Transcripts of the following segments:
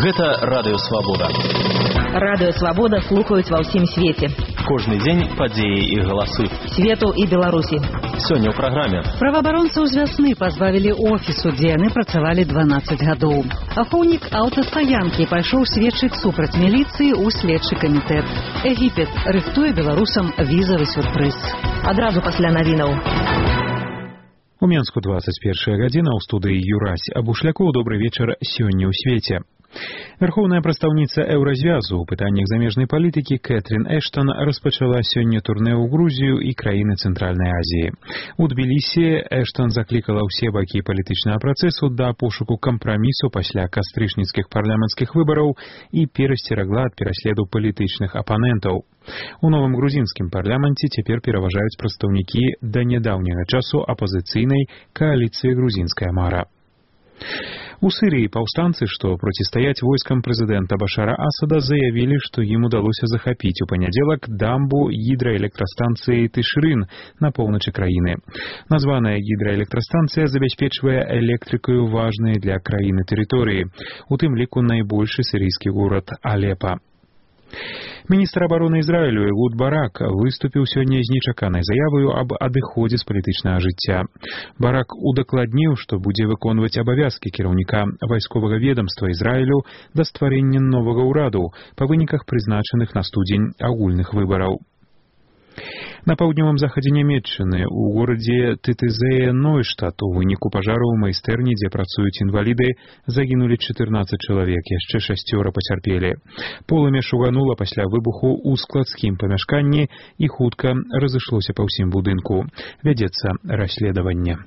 Гэта Радыё Свабода. Радыё Свабода слухаюць ва ўсім свеце. Кожны дзень падзеі і галасы. Свету і Беларусі. Сёння ў праграме. Праваабаронцаў з вясны пазбавілі офісу, дзе яны працавалі 12 гадоў. Ахоўнік аўтастаянкі пайшоў сведчыць супраць міліцыі ў следчы камітэт. Егіпет рыхтуе беларусам візавы сюрпрыз. Адразу пасля навінаў. У Менску 21 гадзіна, ў студыі Юрась Абушлякоў. Добры вечар сёння ў свеце. Верховная прадстаўніца Еўразвязу ў пытаннях замежнай палітыкі Кэтрин Эштон распачала сёння турнэ ў Грузію і краіны Цэнтральнай Азіі. У Тбілісі Эштон заклікала ўсе бакі палітычнага працэсу да пошуку кампрамісу пасля кастрычніцкіх парламенцкіх выбараў і перасцерагла ад пераследу палітычных апанентаў. У новым грузінскім парламенце цяпер пераважаюць прадстаўнікі да нядаўняга часу апазіцыйнай кааліцыі «Грузінская мара». У Сырыі паўстанцы, што процістаяць войскам прэзідэнта Башара Асада, заявілі, што ім удалося захапіць у панядзелак дамбу гідраэлектрастанцыі Тышрын на поўначы краіны. Названая гідраэлектрастанцыя забяспечвае электрыкаю важныя для краіны тэрыторыі, у тым ліку найбольшы сірыйскі горад Алепа. Міністр абароны Ізраілю Эгуд Барак выступіў сёння з нечаканай заяваю аб адыходзе з палітычнага жыцця. Барак удакладніў, што будзе выконваць абавязкі кіраўніка вайсковага ведамства Ізраілю да стварэння новага ўраду па выніках прызначаных на студзень агульных выбараў. На паўднёвым захадзе Нямецчыны у горадзе Тытызее-Нойштадт у выніку пажару ў майстэрні, дзе працуюць інваліды, загінулі 14 чалавек, яшчэ 6 пацярпелі. Полымя шуганула пасля выбуху ў складскім памяшканні і хутка разышлося па ўсім будынку. Вядзецца расследаванне.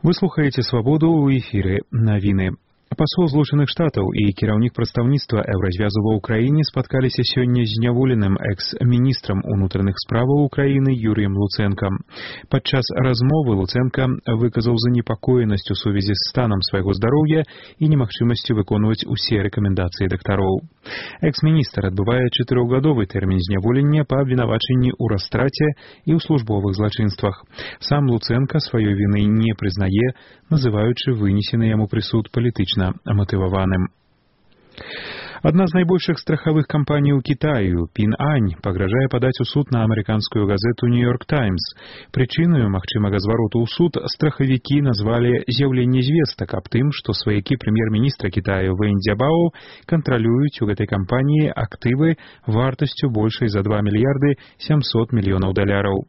Вы слухаеце «Свабоду» ў эфіры навіны. Пасол Злучаных Штатаў і кіраўнік прадстаўніцтва Еўразвязу ва ўкраіне спаткаліся сёння з зняволеным экс-міністрам унутраных справаў Украіны Юрыем Луцэнкам. Падчас размовы Луцэнка выказаў занепакоенасць у сувязі з станам свайго здароўя і немагчымасцю выконваць усе рэкамендацыі дактароў. Экс-міністр адбывае 4гадовы тэрмін зняволення па абвінавачанні ў растраце і ў службовых злачынствах. Сам Луцэнка сваёй віны не прызнае, называючы вынесены яму прысуд палітычна матываваным. Адна з найбольшых страхавых кампаній у Кітаю, Пін Ань, пагражае падаць у суд на амерыканскую газету «Нью-Йорк Таймс». Прычынаю магчымага звароту ў суд страхавікі назвалі з'яўленне звестак аб тым, што сваякі прэм'ер-міністра Кітаю Вэнь Цзябао кантралююць у гэтай кампаніі актывы вартасцю большай за 2 мільярды 700 мільёнаў даляраў.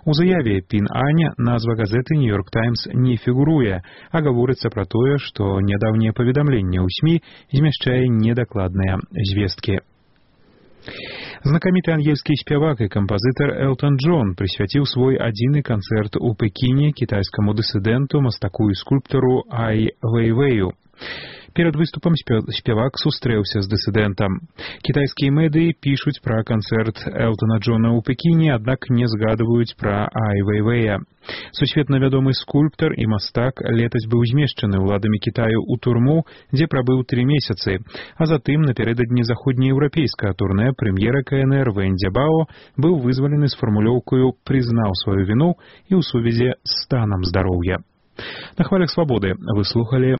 У заяве Пін Ань назва газеты «Нью-Йорк Таймс» не фігуруе, а гаворыцца пра тое, што нядаўнее паведамленне ў СМІ змяшчае недакладныя звесткі. Знакаміты ангельскі спявак і кампазітар Элтон Джон прысвяціў свой адзіны канцэрт у Пекіне кітайскаму дысідэнту, мастаку і скульптару Ай Вэйвэю. Перад выступам спявак сустрэўся з дысідэнтам. Кітайскія медыі пішуць пра канцэрт Элтона Джона ў Пекіне, аднак не згадваюць пра Ай Вэйвэя. Сусветна вядомы скульптар і мастак летась быў змешчаны ўладамі Кітаю ў турму, дзе прабыў 3 месяцы, а затым напярэдадні заходнееўрапейскага турнэ прэм'ера КНР Вэнь Цзябао быў вызвалены з фармулёўкаю «прызнаў сваю віну» і ў сувязі з станам здароўя. На хвалях свабоды вы слухалі